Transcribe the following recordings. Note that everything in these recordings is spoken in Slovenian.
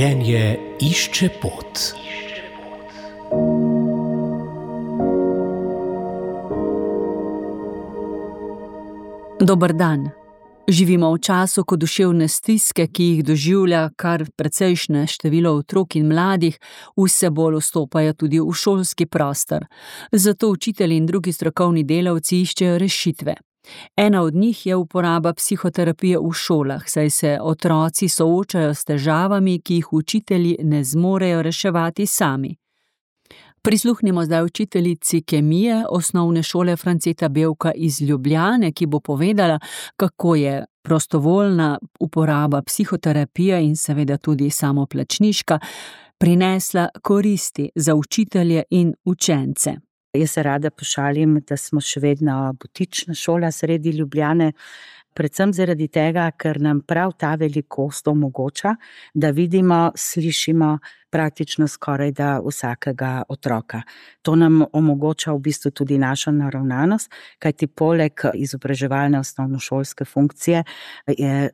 Življenje išče pot. Dober dan. Živimo v času, ko duševne stiske, ki jih doživlja kar precejšnje število otrok in mladih, vse bolj vstopajo tudi v šolski prostor. Zato učitelji in drugi strokovni delavci iščejo rešitve. Ena od njih je uporaba psihoterapije v šolah, saj se otroci soočajo s težavami, ki jih učitelji ne zmorejo reševati sami. Prisluhnimo zdaj učiteljici kemije osnovne šole Franceta Bevka iz Ljubljane, ki bo povedala, kako je prostovoljna uporaba psihoterapije in seveda tudi samoplačniška prinesla koristi za učitelje in učence. Jaz se rada pošalim, da smo še vedno butična šola sredi Ljubljane, predvsem zaradi tega, ker nam prav ta velikost omogoča, da vidimo, slišimo praktično skoraj da vsakega otroka. To nam omogoča v bistvu tudi našo naravnanost, kajti poleg izobraževalne osnovnošolske funkcije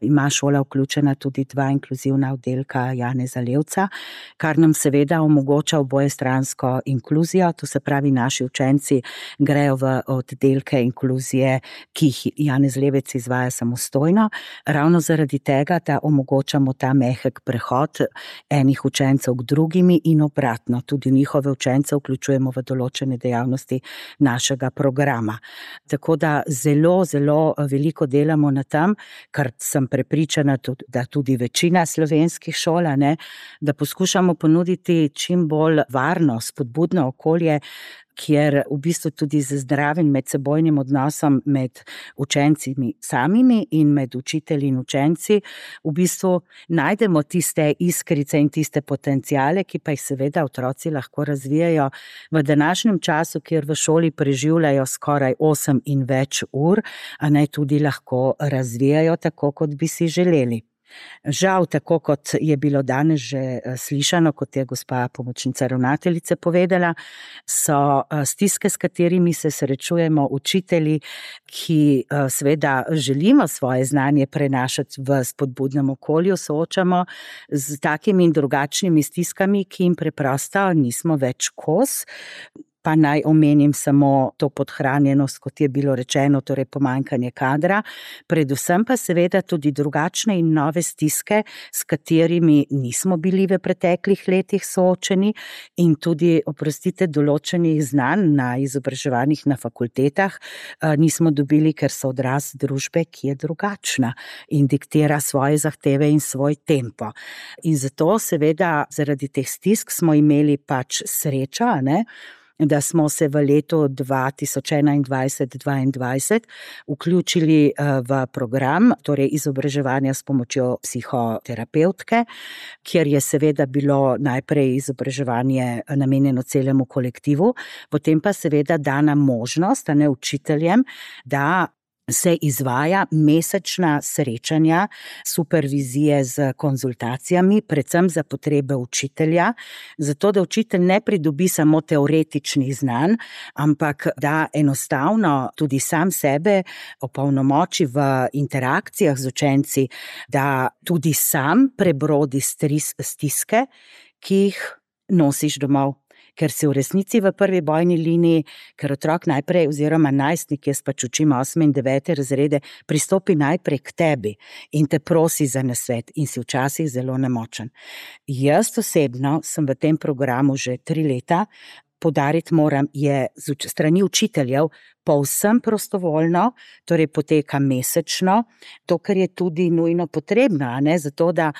ima šola vključena tudi 2 inkluzivna oddelka Janeza Levca, kar nam seveda omogoča obojestransko inkluzijo, to se pravi, naši učenci grejo v oddelke inkluzije, ki jih Janez Levec izvaja samostojno, ravno zaradi tega, da omogočamo ta mehek prehod enih učencev k drugimi in obratno, tudi njihove učence vključujemo v določene dejavnosti našega programa. Tako da zelo, zelo veliko delamo na tem, kar sem prepričana, da tudi večina slovenskih šol, da poskušamo ponuditi čim bolj varno, spodbudno okolje, kjer v bistvu tudi z zdravim medsebojnim odnosom med učenci samimi in med učitelji in učenci v bistvu najdemo tiste iskrice in tiste potenciale, ki pa jih seveda otroci lahko razvijajo v današnjem času, kjer v šoli preživljajo skoraj 8 in več ur, tudi lahko razvijajo tako, kot bi si želeli. Žal, tako kot je bilo danes že slišano, kot je gospa pomočnica ravnateljice povedala, so stiske, s katerimi se srečujemo učitelji, ki seveda želimo svoje znanje prenašati v spodbudnem okolju, soočamo z takimi in drugačnimi stiskami, ki jim preprosto nismo več kos. Pa naj omenim samo to podhranjenost, kot je bilo rečeno, torej pomanjkanje kadra, predvsem pa seveda tudi drugačne in nove stiske, s katerimi nismo bili v preteklih letih soočeni in tudi, oprostite, določenih znanj na izobraževanjih na fakultetah nismo dobili, ker so odraz družbe, ki je drugačna in diktira svoje zahteve in svoj tempo. In zato seveda zaradi teh stisk smo imeli pač srečo, da smo se v letu 2021-2022 vključili v program, torej izobraževanja s pomočjo psihoterapevtke, kjer je seveda bilo najprej izobraževanje namenjeno celemu kolektivu, potem pa seveda dana možnost učiteljem, da se izvaja mesečna srečanja, supervizije z konzultacijami, predvsem za potrebe učitelja, zato da učitelj ne pridobi samo teoretičnih znanj, ampak da enostavno tudi sam sebe opolnomoči v interakcijah z učenci, da tudi sam prebrodi stiske, ki jih nosiš domov. Ker si v resnici v prvi bojni liniji, ker otrok najprej oziroma najstnik, jaz pač učim 8. in 9. razrede, pristopi najprej k tebi in te prosi za nasvet in si včasih zelo nemočen. Jaz osebno sem v tem programu že 3 leta, poudariti moram, je z strani učiteljev povsem prostovoljno, torej poteka mesečno, to, kar je tudi nujno potrebno, zato da,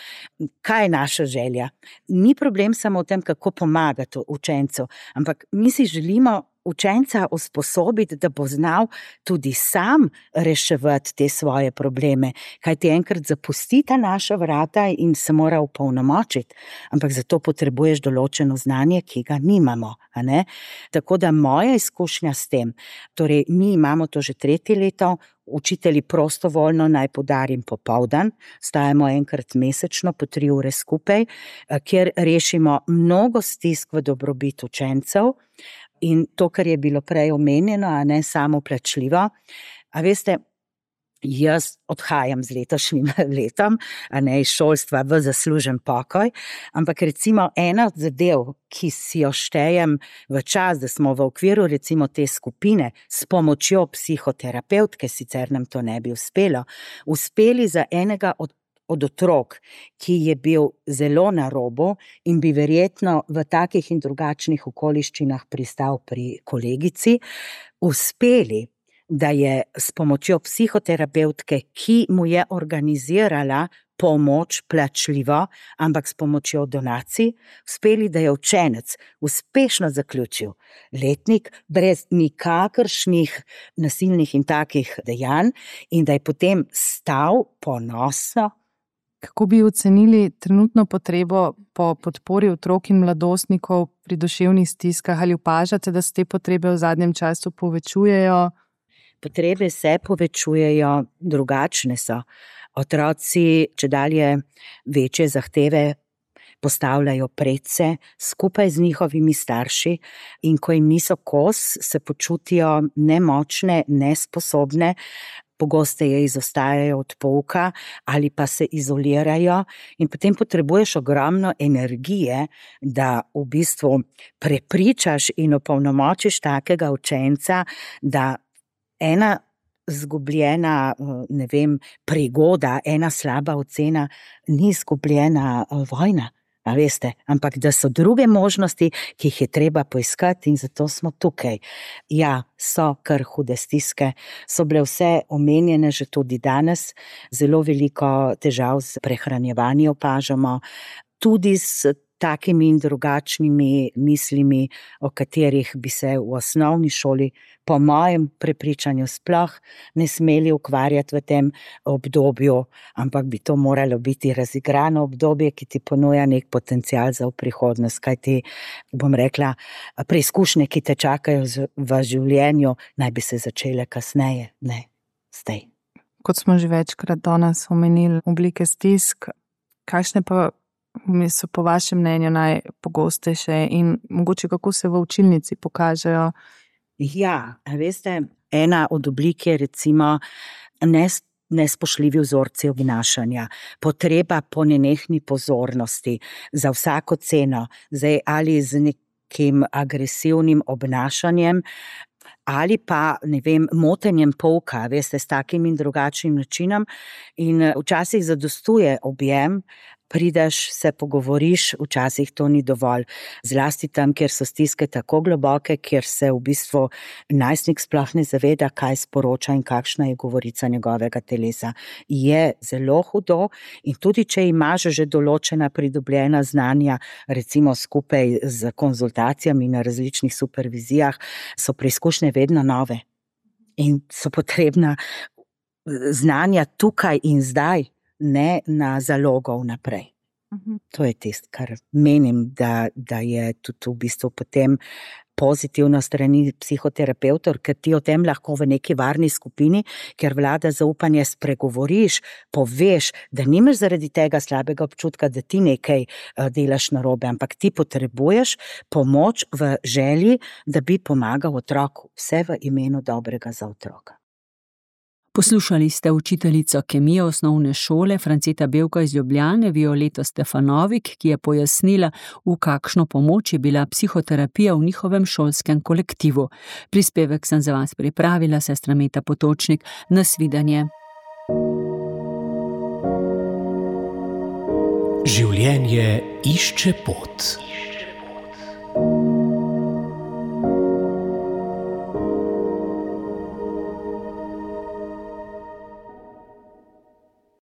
kaj je naša želja? Ni problem samo v tem, kako pomagati učencu, ampak mi si želimo učenca usposobiti, da bo znal tudi sam reševati te svoje probleme, kajti enkrat zapusti ta naša vrata in se mora opolnomočiti, ampak zato potrebuješ določeno znanje, ki ga nimamo. Tako da moja izkušnja s tem, torej mi imamo to že 3. leto, učitelji prostovoljno, naj poudarim, popoldan, stajamo enkrat mesečno po 3 ure skupaj, kjer rešimo mnogo stisk v dobrobit učencev. In to, kar je bilo prej omenjeno, samoplačljivo. A veste, jaz odhajam z letošnjim letom, a ne iz šolstva v zaslužen pokoj, ampak recimo ena od zadev, ki si jo štejem v čas, da smo v okviru recimo te skupine s pomočjo psihoterapevtke, sicer nam to ne bi uspeli za enega od otrok, ki je bil zelo na robu in bi verjetno v takih in drugačnih okoliščinah pristal pri kolegici, uspeli, da je s pomočjo psihoterapevtke, ki mu je organizirala pomoč plačljivo, ampak s pomočjo donacij, uspeli, da je učenec uspešno zaključil letnik brez nikakršnih nasilnih in takih dejanj in da je potem stal ponosno. Kako bi ocenili trenutno potrebo po podpori otrok in mladostnikov pri duševnih stiskah? Ali opažate, da se te potrebe v zadnjem času povečujejo? Potrebe se povečujejo, drugačne so. Otroci čedalje večje zahteve postavljajo predse skupaj z njihovimi starši in ko jim niso kos, se počutijo nemočne, nesposobne, pogosteje izostajajo od pouka ali pa se izolirajo in potem potrebuješ ogromno energije, da v bistvu prepričaš in opolnomočiš takega učenca, da ena izgubljena, prigoda, ena slaba ocena ni izgubljena vojna, a veste, ampak da so druge možnosti, ki jih je treba poiskati in zato smo tukaj. Ja, so kar hude stiske, so bile vse omenjene že tudi danes, zelo veliko težav s prehranjevanjem opažamo, tudi s takimi in drugačnimi mislimi, o katerih bi se v osnovni šoli, po mojem prepričanju, sploh ne smeli ukvarjati v tem obdobju, ampak bi to moralo biti razigrano obdobje, ki ti ponuja nek potencial za v prihodnost, kajti, bom rekla, preizkušnje, ki te čakajo v življenju, naj bi se začele kasneje, ne zdaj. Kot smo že večkrat danes omenili oblike stisk, kakšne pa so po vašem mnenju najpogostejše in mogoče kako se v učilnici pokažejo? Ja, veste, ena od oblik je recimo nespoštljivi vzorci obnašanja, potreba po nenehni pozornosti za vsako ceno, zdaj ali z nekim agresivnim obnašanjem, ali pa, motenjem pouka, veste, s takim in drugačnim načinom in včasih zadostuje objem, prideš, se pogovoriš, včasih to ni dovolj. Zlasti tam, kjer so stiske tako globoke, kjer se v bistvu najstnik sploh ne zaveda, kaj sporoča in kakšna je govorica njegovega telesa. Je zelo hudo in tudi, če imaš že določena pridobljena znanja, recimo skupaj z konzultacijami na različnih supervizijah, so preizkušnje vedno nove in so potrebna znanja tukaj in zdaj, ne na zalogo vnaprej. To je tisto, kar menim, da je tudi v bistvu potem pozitivno strani psihoterapevtov, ker ti o tem lahko v neki varni skupini, ker vlada zaupanje, spregovoriš, poveš, da nimaš zaradi tega slabega občutka, da ti nekaj delaš narobe, ampak ti potrebuješ pomoč v želji, da bi pomagal otroku, vse v imenu dobrega za otroka. Poslušali ste učiteljico kemije osnovne šole Franceta Bevka iz Ljubljane, Violeto Stefanovik, ki je pojasnila, v kakšno pomoč je bila psihoterapija v njihovem šolskem kolektivu. Prispevek sem za vas pripravila, sestra Meta Potočnik. Nasvidenje. Življenje išče pot.